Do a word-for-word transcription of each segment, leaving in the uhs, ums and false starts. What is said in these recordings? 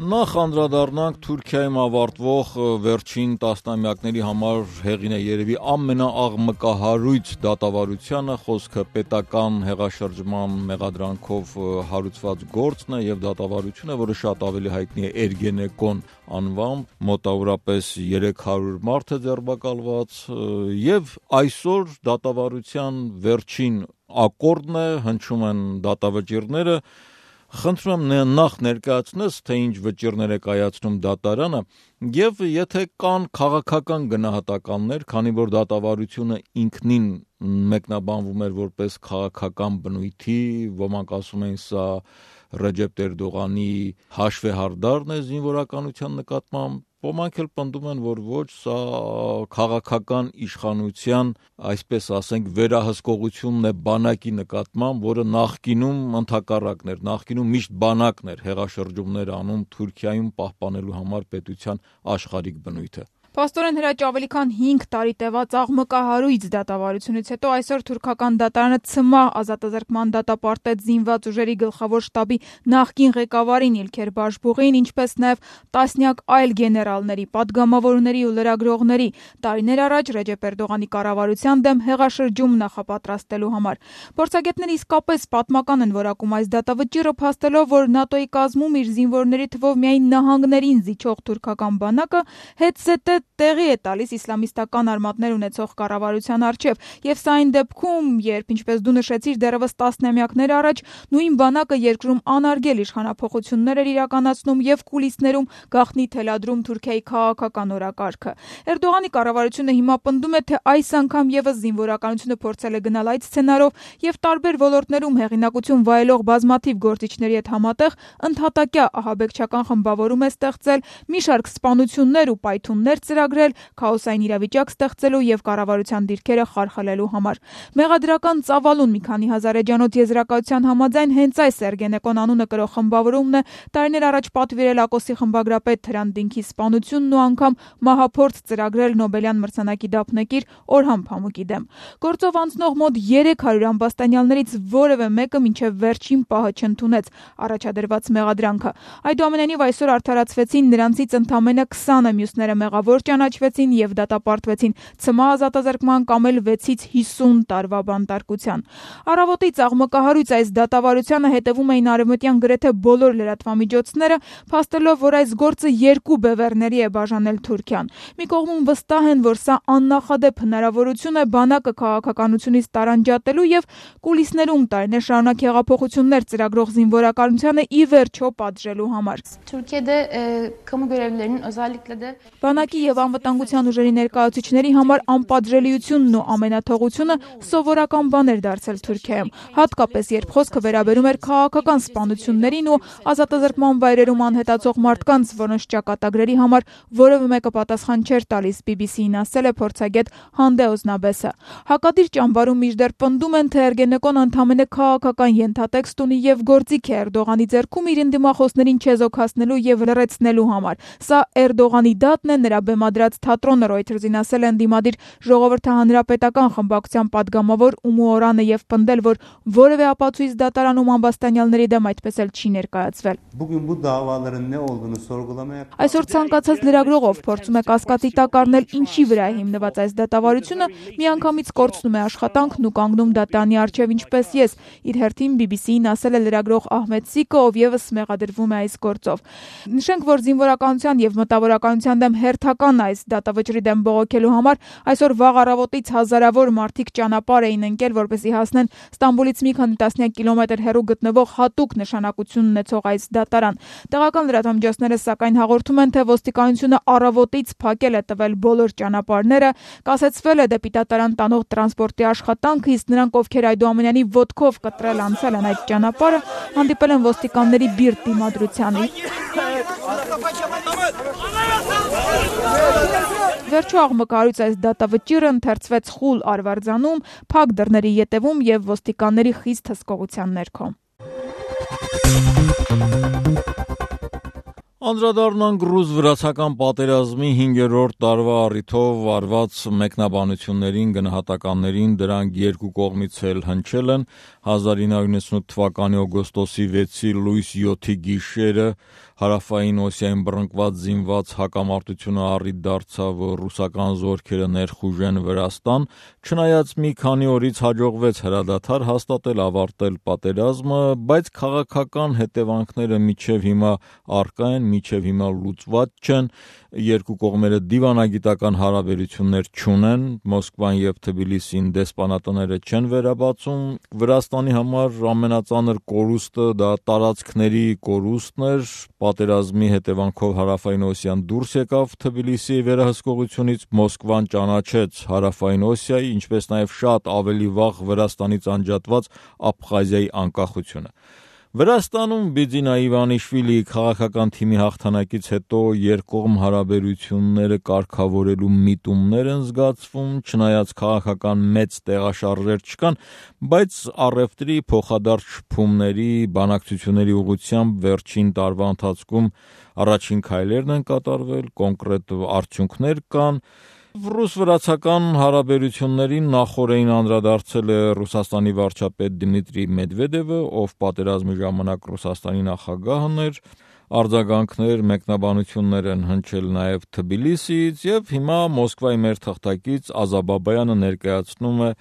Նախ անդրադառնանք Թուրքիայում ավարտվող վերջին տասնամյակների համար հեղին է երևի ամենաաղմկահարույց դատավարությանը, խոսքը պետական հեղաշրջման մեղադրանքով հարուցված գործն է եւ դատավարությունը, որը շատ ավելի հայտնի է Էրգենեկոն անվամբ, մոտավորապես երեք հարյուր մարդ է ձերբակալված եւ այսօր դատավարության վերջին ակորդն է, հնչում են դատավճիռները. Խնդրում եմ նախ ներկայացնես, թե ինչ վճիռներ է կայացնում դատարանը եւ եթե կան քաղաքական գնահատականներ, քանի որ դատավարությունը ինքնին մեկնաբանվում էր որպես քաղաքական բնույթի, ոմանք ասում են սա Ռեջեփ Էրդողանի հաշվեհարդարն է զինվորականության նկատմամբ, ոմանք էլ պնդում են, որ ոչ, սա քաղաքական իշխանության, այսպես ասենք, վերահսկողությունն է բանակի նկատմամբ, որը նախկինում ընդհակառակն էր, նախկինում միշտ բանակն էր հեղաշրջումներ անում Թուրքիայում պահպանելու համար պետության աշխարհիկ բնույթը։ Փաստորեն Հրաչ ավելի քան հինգ տարի տևած աղմկահարույց դատավարությունից հետո այսօր թուրքական դատարանը ցմահ ազատազրկման դատապարտեց զինված ուժերի գլխավոր շտաբի նախկին ղեկավարին Իլքեր Բաշբուղին, ինչպես նաև տասնյակ այլ գեներալների, падգամավորների ու լրագրողների տարիներ առաջ Ռեջեփ Էրդողանի կառավարության դեմ հեղաշրջում նախապատրաստելու համար։ Փորձագետները իսկապես պատմական են որակում այս դատավճիռը, փաստելով, որ ՆԱՏՕ-ի կազմում իր զինվորների թվով միայն նահանգներին զիջող թուրքական բանակը հետ-զետե տեղի է տալիս իսլամիստական արմատներ ունեցող կառավարության առջև, եւ սա այն դեպքում, երբ, ինչպես դու նշեցիր, դեռևս տասնամյակներ առաջ նույն բանակը երկրում անարգել իշխանափոխություններ էր իրականացնում եւ կուլիսներում գաղտնի թելադրում Թուրքիայի քաղաքական օրակարգը։ Էրդողանի կառավարությունը հիմա պնդում է, թե այս անգամ եւս զինվորականությունը փորձել է գնալ այդ սցենարով եւ տարբեր ոլորտներում հեղինակություն վայելող բազմաթիվ գործիչների հետ համատեղ ընդհատակյա ահաբեկչական խմբավորում է ստեղծել, մի շարք սպանություններ ու պայթուններ ծրագրել քաոսային իրավիճակ ստեղծելու եւ կառավարության դիրքերը խարխլելու համար։ Մեղադրական ծավալուն մի քանի հազար էջանոց եզրակացության համաձայն հենց այս Էրգենեկոն անունը կրող խմբավորումն է տարիներ առաջ պատվիրել Ակոսի խմբագրապետ Հրանտ Դինքի սպանությունն ու անգամ մահափորձ ծրագրել Նոբելյան մրցանակի դափնեկիր Օրհան Փամուկի դեմ։ Գործով անցնող մոտ երեք հարյուր ամբաստանյալներից որևէ մեկը մինչև վերջին պահը չընդունեց առաջադրված մեղադրանքը։ Այդուամենայնիվ այսօր արդարացվեցին նրանցից ընդամենը քսանը, մյուսները մեղավոր ճանաչվեցին եւ դատապարտվեցին ցմահ ազատազրկման կամ էլ վեցից հիսուն տարվա բանտարկության։ Առավոտից աղմկահարույց այս դատավարությանը հետևում էին արևմտյան գրեթե բոլոր լրատվամիջոցները, փաստելով, որ այս գործը երկու բևեռների է բաժանել Թուրքիան։ Մի կողմում վստահ են, որ սա աննախադեպ հնարավորություն է բանակը քաղաքականությունից տարանջատելու եւ կուլիսներում տարիներ շարունակ հեղափոխություններ ծրագրող զինվորականությանը ի վերջո պատժելու համար։ Türkiye'de e, kamu görevlilerinin özellikle de Բանակի եւ անվտանգության ուժերի ներկայացուցիչների համար անպատժելիությունն ու ամենաթողությունը սովորական բան էր դարձել Թուրքիայում, հատկապես երբ խոսքը վերաբերում էր քաղաքական սպանություններին ու ազատազրկման վայրերում անհետացող մարդկանց, որոնց ճակատագրերի համար որևէ մեկը պատասխան չէր տալիս, բի բի սի-ին ասել է փորձագետ Հանդե Օզնաբեսը։ Հակադիր ճամբարում մինչդեռ պնդում են, թե Էրգենեկոն ընդամենը քաղաքական ենթատեքստ ունի եւ գործիք է Էրդողանի ձեռքում իր ընդդիմախոսներին չեզոքացնելու եւ լրացնելու համար։ Սա Էրդողանի դատն է, նրա բեմադրած թատրոնը Reuters-ին ասել է ընդդիմադիր ժողովրդահանրապետական խմբակցության падգամավոր Ումու Օրանը եւ պնդել, որ որևէ ապացույց դատարանում ամբաստանյալների դեմ այդպես էլ չի ներկայացվել։ Այսօր ցանկացած լրագրողով փորձում է կասկածի տակ առնել ինչի վրա է հիմնված այս դատավարությունը, միանգամից կորցնում է աշխատանքն ու կանգնում դատարանի առջև, ինչպես ես, իր հերթին բի բի սի-ին ասել է լրագրող Ահմեդ Սիկը, ով եւս մեղադրվում է այս գործով։ Նշենք, որ զինվորականության եւ մտավորականության դեմ հերթական այս դատավճռի դեմ բողոքելու համար այսօր վաղ առավոտից հազարավոր մարդիկ ճանապարհ էին ընկել, որպեսզի հասնեն Ստամբուլից մի քանի տասնյակ կիլոմետր հեռու գտնվող հատուկ նշանակություն ունեցող այս դատարան։ Տեղական լրատվամիջոցները սակայն հաղորդում են, թե ոստիկանությունը առավոտից փակել է տվել բոլոր ճանապարհները, կասեցվել է դեպի դատարան տանող տրանսպորտի աշխատանքը, իսկ նրանք, ովքեր այդուամենայնիվ ոտքով կտրել անցել են այդ ճանապարհը, հանդիպել են ոստիկանների բիրտ դիմադրությանը։ Վերջո աղմկահարույց այս դատավճիռը ընթերցվեց խուլ արվարձանում, փակ դռների ետևում եւ ոստիկանների խիստ հսկողության ներքո։ Անդրադառնանք ռուս-վրացական պատերազմի հինգերորդ տարվա առիթով արված մեկնաբանություններին, գնահատականներին, դրանք երկու կողմից էլ հնչել են հազար ինը հարյուր նվեցանութ թվականի օգոստոսի վեցի լույս յոթի գիշերը հարավային Օսիային բռնկված զինված հակամարտությունը առիթ դարձավ ռուսական զորքերը ներխուժեն Վրաստան, չնայած մի քանի օրից հաջողվեց հրադադար հաստատել, ավարտել պատերազմը, բայց քաղաքական հետևանքները մինչև հիմա առկա են, մինչև հիմա լուծված չեն, երկու կողմերը դիվանագիտական հարաբերություններ չունեն, Մոսկվան եւ Թբիլիսին դեսպանատները չեն վերաբացում, Վրաստանի համար ամենածանր կորուստը դա տարածքների կորուստն էր, պատերազմի հետևանքով հարավային Օսիան դուրս եկավ Թբիլիսիի վերահսկողությունից, Մոսկվան ճանաչեց հարավային Օսիայի, ինչպես նաև շատ ավելի վաղ Վրաստանից անջատված Աբխազիայի անկախությունը։ Վրաստանում Բիձինա Իվանիշվիլիի քաղաքական թիմի հաղթանակից հետո երկկողմ հարաբերությունները կարգավորելու միտումներ են զգացվում, չնայած քաղաքական մեծ տեղաշարժեր չկան, բայց առևտրի փոխադարձ շփումների, բանակցությունների ուղղությամբ վերջին տարվա ընթացքում առաջին քայլերն են կատարվել, կոնկրետ արդյունքներ կան։ Ռուս-վրացական հարաբերություններին նախօրեին անդրադարձել է Ռուսաստանի վարչապետ Դմիտրի Մեդվեդևը, ով պատերազմի ժամանակ Ռուսաստանի նախագահն էր, արձագանքներ, մեկնաբանություններ են հնչել նաև Թբիլիսիից եւ հիմա Մոսկվայի մեր թղթակից Ազաբաբայանը ներկայացնում է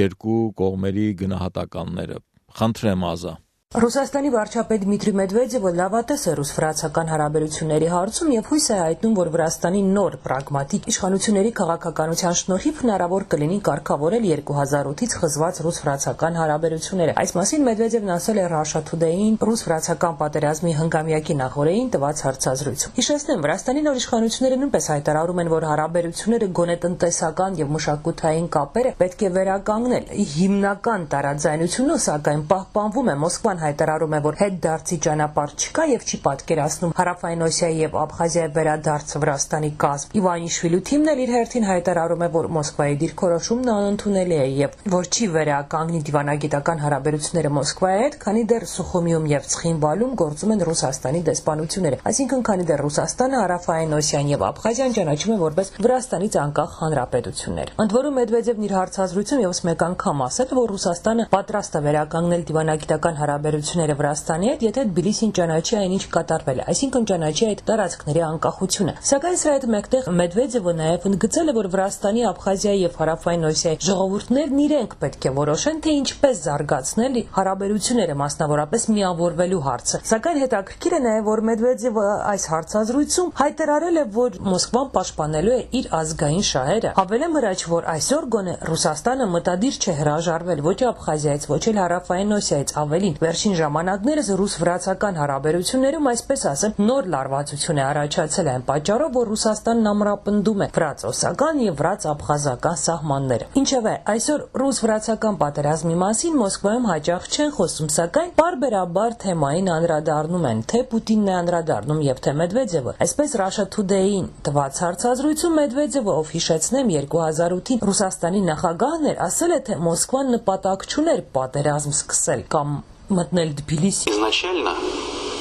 երկու կողմերի գնահատականները։ Խնդրեմ Ազա։ Ռուսաստանի վարչապետ Դմիտրի Մեդվեդևը լավատես է ռուս-վրացական հարաբերությունների հարցում եւ հույս է հայտնում, որ Վրաստանի նոր պրագմատիկ իշխանությունների քաղաքականության շնորհիվ հնարավոր կլինի կարգավորել երկու հազար ութից խզված ռուս-վրացական հարաբերությունները։ Այս մասին Մեդվեդևն ասել է Russia Today-ին ռուս-վրացական պատերազմի հնգամյակի նախօրեին տված հարցազրույցում։ Հիշեցնեմ, Վրաստանի նոր իշխանությունները նույնպես հայտարարում են, որ հարաբերությունները գոնե տնտեսական եւ մշակութային կապերը պետք է վերականգնել։ Հիմնական տարաձայնությունը, սակայն, պահպանվում է Մոսկվան հայտարարում է, որ հետդարձի ճանապարհ չկա եւ չի պատկերացնում հարավային Օսիայի եւ Աբխազիայի վերադարձը Վրաստանի կազմ։ Իվանիշվիլու թիմն էլ իր հերթին հայտարարում է, որ Մոսկվայի դիրքորոշումն անընդունելի է եւ որ չի վերականգնի դիվանագիտական հարաբերությունները Մոսկվայի հետ, քանի դեռ Սուխումիում եւ Ցխինվալում գործում են Ռուսաստանի դեսպանությունները։ Այսինքն, քանի դեռ Ռուսաստանը հարավային Օսիան եւ Աբխազիան ճանաչում է որպես Վրաստանից անկախ հանրապետություններ։ Ընդ որում Մեդվեդևն իր հարցազրույցում եւս մեկ անգամ ասել, որ Ռուսաստանը պատրաստ է վերականգնել դիվանագիտական հարաբերությունները Վրաստանի հետ, եթե Թբիլիսին ճանաչի այնինչ կատարվել է, այսինքն ճանաչի այդ տարածքների անկախությունը։ Սակայն սրա հետ մեկտեղ Մեդվեդևը նաև ընդգծել է, որ Վրաստանի, Աբխազիայի եւ հարավային Օսիայի ժողովուրդներն իրենք պետք է որոշեն, թե ինչպես զարգացնել հարաբերությունները, մասնավորապես միավորվելու հարցը։ Սակայն հետաքրքիր է նաև, որ Մեդվեդևը այս հարցազրույցում հայտարարել է, որ Մոսկվան պաշտպանելու է իր ազգային շահերը։ Հավելեմ հրաչ, որ այսօր գոնե Ռուսաստանը մտադիր չէ հրաժարվել ոչ Աբխազիայից, ոչ էլ հարավային Օսիայից, ավելին վերջին ժամանակներս ռուս-վրացական հարաբերություններում, այսպես ասեմ, նոր լարվածություն է առաջացել այն պատճառով, որ Ռուսաստանն ամրապնդում է վրաց-օսական եւ վրաց-աբխազական սահմանները։ Ինչևէ, այսօր ռուս-վրացական պատերազմի մասին Մոսկվայում հաճախ չեն խոսում, սակայն պարբերաբար թեմային անդրադառնում են, թե Պուտինն է անդրադառնում եւ թե Մեդվեդևը։ Այսպես Russia Today-ին տված հարցազրույցում Մեդվեդևը, ով հիշեցնեմ երկու հազար ութին Ռուսաստանի նախագահն էր, ասել է, թե Մոսկվան նպատակ չուներ պատերազմ սկսել կամ մտնել Թբիլիսի։ Изначально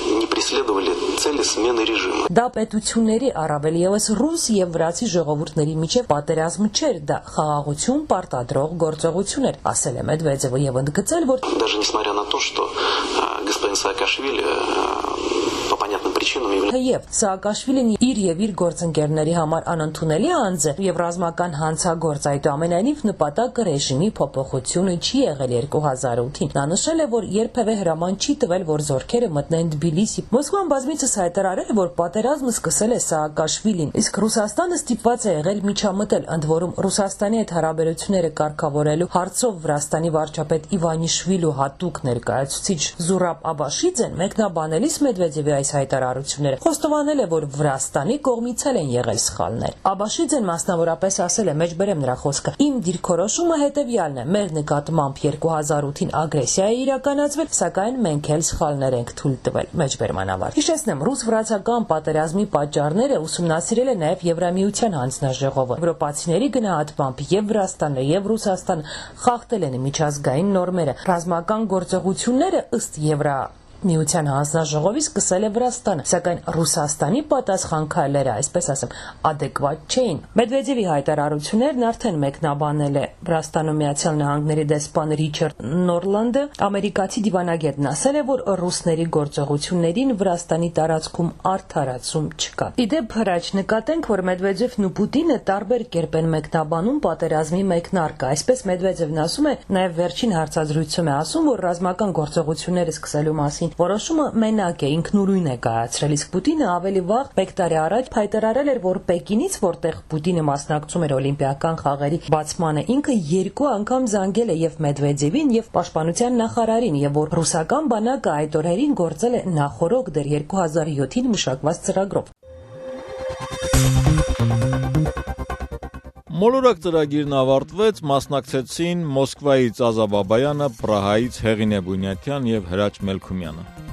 не преследовали цели смены режима. Դա պետությունների առավել եւս ռուս եւ վրացի ժողովուրդների միջև պատերազմ չէր, դա խաղաղություն պարտադրող գործողություն էր, ասել է Մեդվեդևը եւ ընդգծել, որ даже несмотря на то, что господин Саакашвили по понятным причинам является Եվ Սաակաշվիլին իր եւ իր գործընկերների համար անընդունելի անձ է եւ ռազմական հանցագործ, այդուամենայնիվ նպատակը ռեժիմի փոփոխությունը չի եղել երկու հազար ութին։ Նա նշել է, որ երբևէ հրաման չի տվել, որ զորքերը մտնեն Թբիլիսի։ Մոսկվան բազմիցս հայտարարել է, որ պատերազմը սկսել է Սաակաշվիլին, իսկ Ռուսաստանը ստիպված է եղել միջամտել, ընդ որում Ռուսաստանի հետ հարաբերությունները կարգավորելու հարցով Վրաստանի վարչապետ Իվանիշվիլու հատուկ ներկայացուցիչ Զուրաբ Աբաշիձեն մեկնաբանելիս Մեդվեդևի այս հայտարարությունները խոստովանել է, որ Վրաստանի կողմից էլ են եղել սխալներ։ Աբաշիձեն մասնավորապես ասել է, մեջբերեմ նրա խոսքը. «Իմ դիրքորոշումը հետևյալն է. մեր նկատմամբ երկու հազար ութին ագրեսիա է իրականացվել, սակայն մենք էլ սխալներ ենք թույլ տվել»։ Մեջբերման ավարտ։ Հիշեցնեմ, ռուս-վրացական պատերազմի պատճառները ուսումնասիրել է նաև Եվրամիության հանձնաժողովը։ Եվրոպացիների գնահատմամբ եւ Վրաստանը եւ Ռուսաստանը խախտել են միջազգային նորմերը։ Ռազմական գործողությունները ըստ Եվրա Միության հանձնաժողովի սկսել է Վրաստանը, սակայն Ռուսաստանի պատասխան քայլերը, այսպես ասեմ, adekvat չէին։ Մեդվեդևի հայտարարություններն արդեն մեկնաբանել է Վրաստանում Միացյալ Նահանգների դեսպան Ռիչարդ Նորլանդը, ամերիկացի դիվանագետն ասել է, որ ռուսների գործողություններին Վրաստանի տարածքում արդարացում չկա։ Իդեպ հրաչ նկատենք, որ Մեդվեդևն ու Պուտինը տարբեր կերպ են մեկնաբանում պատերազմի մեկնարկը։ Այսպես Մեդվեդևն ասում է, նաև վերջին հարցազրույցում է ասում, որ ռազմական գործողությունները սկսելու մասին որոշումը մենակ է, ինքնուրույն է կայացրել, իսկ Պուտինը ավելի վաղ մեկ տարի առաջ հայտարարել էր, որ Պեկինից, որտեղ Պուտինը մասնակցում էր օլիմպիական խաղերի բացմանը, ինքը երկու անգամ զանգել է եւ Մեդվեդևին եւ պաշտպանության նախարարին, եւ որ ռուսական բանակը այդ օրերին գործել է նախորոք դեռ երկու հազար յոթին մշակված ծրագրով։ Մոլորակ ծրագիրն ավարտվեց, մասնակցեցին Մոսկվայից Ազա Բաբայանը, Պրահայից Հեղինե Բունյաթյան եւ Հրաչ Մելքումյանը։